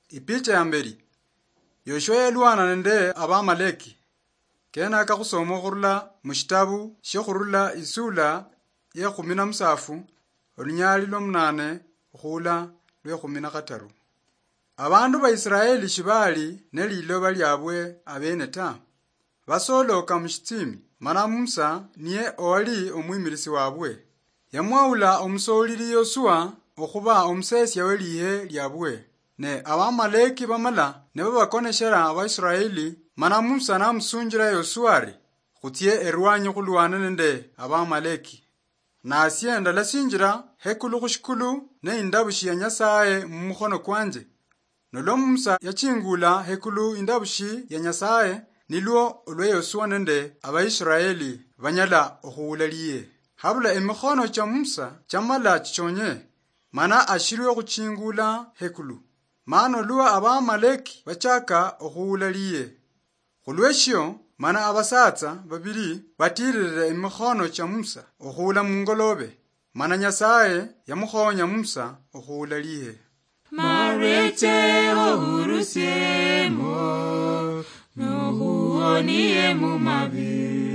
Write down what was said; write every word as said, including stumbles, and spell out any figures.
Ipicha ya mbeli. Yoshua yalwana nende Abamaleki. Kenaka khusoma khurula mushitabu shia Khurula isula ya khumi na musafu, olunyali lwa munane khuula lwe khumi na khataru. Abandu ba Israeli shibali ne liloba liabwe abene ta. Basoloka mushitsimi, mana Musa niye owali omwimirisi wabwe. Yamwaula omusolili Yosua okhuba omusesia we lihe liabwe. Ne Abamaleki bamala nibabakoneshera Abaisraeli, mana Musa namusunjira Yosua ari, "Khutsie erwanyi khulwane nende Abamaleki." Nasie ndalasinjira hekulu khushikulu ne indabushi ya Nyasaye mumukhono kwanje. Nolwa Musa yachingula hekulu indabushi ya Nyasaye, nilwo olwa Yosua nende Abaisraeli banyala okhuula liye. Habula emikhono cha Musa chamala chichonye, mana ashilwe okhuchingula hekulu. Mana olwa Abamaleki bachaka okhuula liye. Khulweshio, mana abasatsa babili batililile emikhono cha Musa okhuula mungolobe, mana Nyasaye yamukhonya Musa okhuula liye. Mareche ohurusiemo, nohuonie mu mabi.